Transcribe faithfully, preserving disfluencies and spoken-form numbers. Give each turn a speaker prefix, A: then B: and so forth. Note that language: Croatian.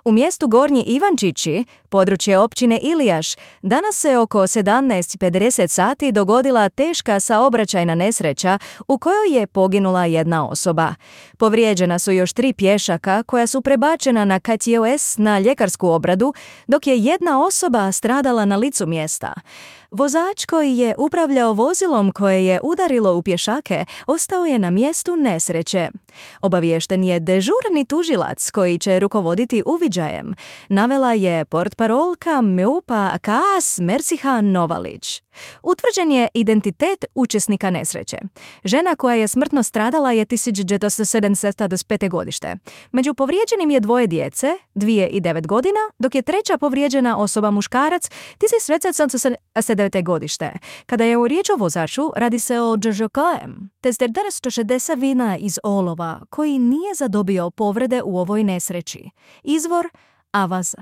A: U mjestu Gornji Ivančići, područje općine Ilijaš, danas se oko sedamnaest i pedeset sati dogodila teška saobraćajna nesreća u kojoj je poginula jedna osoba. Povrijeđena su još tri pješaka koja su prebačena na K T O S na ljekarsku obradu, dok je jedna osoba stradala na licu mjesta. Vozač koji je upravljao vozilom koje je udarilo u pješake ostao je na mjestu nesreće. Obaviješten je dežurni tužilac koji će rukovoditi uviđajem, navela je portparolka M E U P-a Kaas Merciha Novalić. Utvrđen je identitet učesnika nesreće. Žena koja je smrtno stradala je tisuću devetsto sedamdeset pete godište. Među povrijeđenim je dvoje djece, dvije i devet godina, dok je treća povrijeđena osoba muškarac tisuću devetsto sedamdeset devete godište. Kada je u riječ o vozaču, radi se o D Ž K M, te devetsto šezdeset vina iz olova koji nije zadobio povrede u ovoj nesreći. Izvor Avaza.